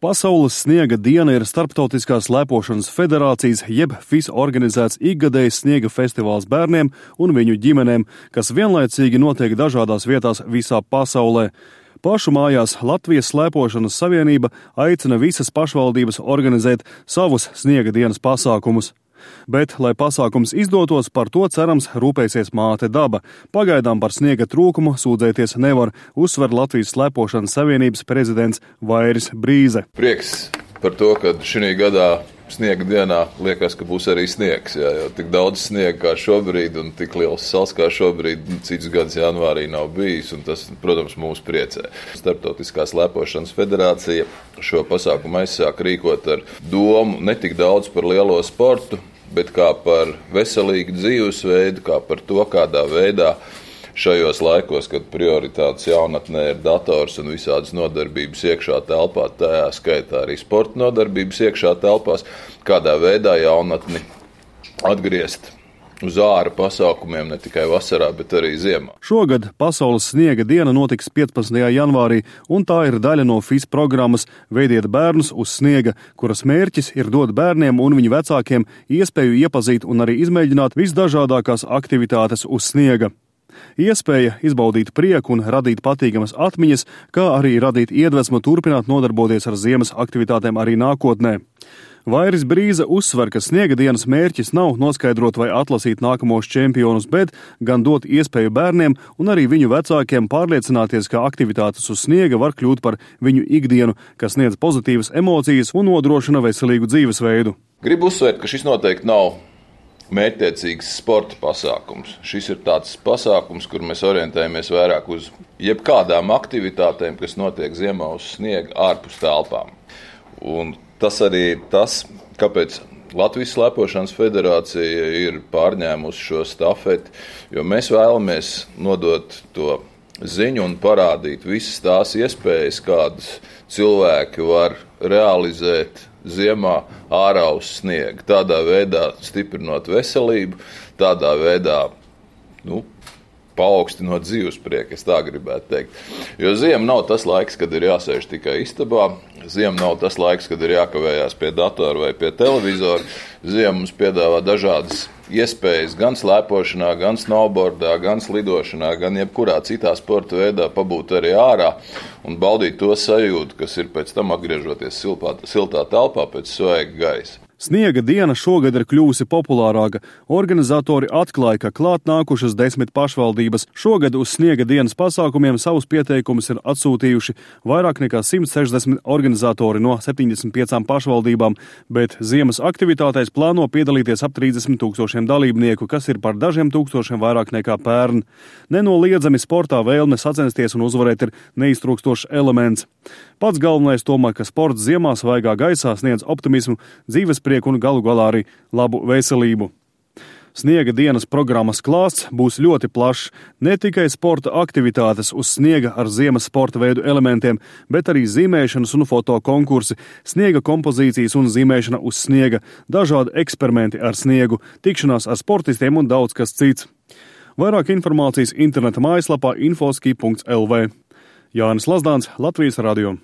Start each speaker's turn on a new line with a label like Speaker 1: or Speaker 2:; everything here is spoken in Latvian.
Speaker 1: Pasaules sniega diena ir Starptautiskās slēpošanas federācijas jeb FIS organizēts ikgadējs sniega festivāls bērniem un viņu ģimenēm, kas vienlaicīgi notiek dažādās vietās visā pasaulē. Pašu mājās Latvijas slēpošanas savienība aicina visas pašvaldības organizēt savus sniega dienas pasākumus. Bet, lai pasākums izdotos, par to cerams rūpēsies māte daba. Pagaidām par sniega trūkumu sūdzēties nevar, uzsver Latvijas slēpošanas savienības prezidents Vairis Brīze.
Speaker 2: Prieks par to, ka šī gadā sniega dienā liekas, ka būs arī sniegs. Jo tik daudz sniega kā šobrīd un tik liels sals kā šobrīd cits gads janvārī nav bijis, un tas, protams, mūs priecē. Starptautiskā slēpošanas federācija šo pasākumu aizsāk rīkot ar domu ne tik daudz par lielo sportu, bet kā par veselīgu dzīvesveidu, kā par to, kādā veidā šajos laikos, kad prioritātes jaunatnē ir dators un visādas nodarbības iekšā telpā, tajā skaitā arī sporta nodarbības iekšā telpās, kādā veidā jaunatni atgriezt uz āra pasākumiem ne tikai vasarā, bet arī ziemā.
Speaker 1: Šogad Pasaules sniega diena notiks 15. janvārī, un tā ir daļa no FIS programmas Veidiet bērnus uz sniega, kuras mērķis ir dot bērniem un viņu vecākiem iespēju iepazīt un arī izmēģināt visdažādākās aktivitātes uz sniega. Iespēja izbaudīt prieku un radīt patīkamas atmiņas, kā arī radīt iedvesmu turpināt nodarboties ar ziemas aktivitātēm arī nākotnē. Vairis Brīze uzsver, ka sniega dienas mērķis nav noskaidrot vai atlasīt nākamos čempionus, bet gan dot iespēju bērniem un arī viņu vecākiem pārliecināties, ka aktivitātes uz sniega var kļūt par viņu ikdienu, kas sniedz pozitīvas emocijas un nodrošina veselīgu dzīvesveidu.
Speaker 2: Gribu uzsvērt, ka šis noteikti nav mērķtiecīgs sporta pasākums. Šis ir tāds pasākums, kur mēs orientējamies vairāk uz jebkādām aktivitātēm, kas notiek ziemā uz sniega ārpus telpām. Un tas arī ir tas, kāpēc Latvijas slēpošanas federācija ir pārņēmusi šo stafeti, jo mēs vēlamies nodot to ziņu un parādīt visas tās iespējas, kādas cilvēki var realizēt ziemā ārā uz sniega. Tādā veidā stiprinot veselību, tādā veidā, paaugstinot dzīvesprieku, es tā gribētu teikt. Jo ziema nav tas laiks, kad ir jāsēž tikai istabā, ziema nav tas laiks, kad ir jākavējās pie datora vai pie televizora. Ziema mums piedāvā dažādas iespējas gan slēpošanā, gan snowboardā, gan slidošanā, gan jebkurā citā sporta veidā pabūt arī ārā un baudīt to sajūtu, kas ir pēc tam atgriežoties siltā telpā pēc svaiga gaisa.
Speaker 1: Sniega diena šogad ir kļuvusi populārāka. Organizatori atklāja, ka klāt nākušas 10 pašvaldības. Šogad uz sniega dienas pasākumiem savus pieteikumus ir atsūtījuši vairāk nekā 160 organizatori no 75 pašvaldībām, bet ziemas aktivitātēs plāno piedalīties ap 30 000 dalībnieku, kas ir par dažiem tūkstošiem vairāk nekā pērn. Nenoliedzami sportā vēlme sacensties un uzvarēt ir neiztrūkstošs elements. Pats galvenais tomēr, ka sports ziemā svaigā gaisā sniedz optimismu, dzīvesprieku un galu galā arī labu veselību. Sniega dienas programmas klāsts būs ļoti plašs, ne tikai sporta aktivitātes uz sniega ar ziemas sporta veidu elementiem, bet arī zīmēšanas un foto konkursi, sniega kompozīcijas un zīmēšana uz sniega, dažādi eksperimenti ar sniegu, tikšanās ar sportistiem un daudz kas cits. Vairāk informācijas interneta mājaslapā infoski.lv. Jānis Lazdāns, Latvijas radio.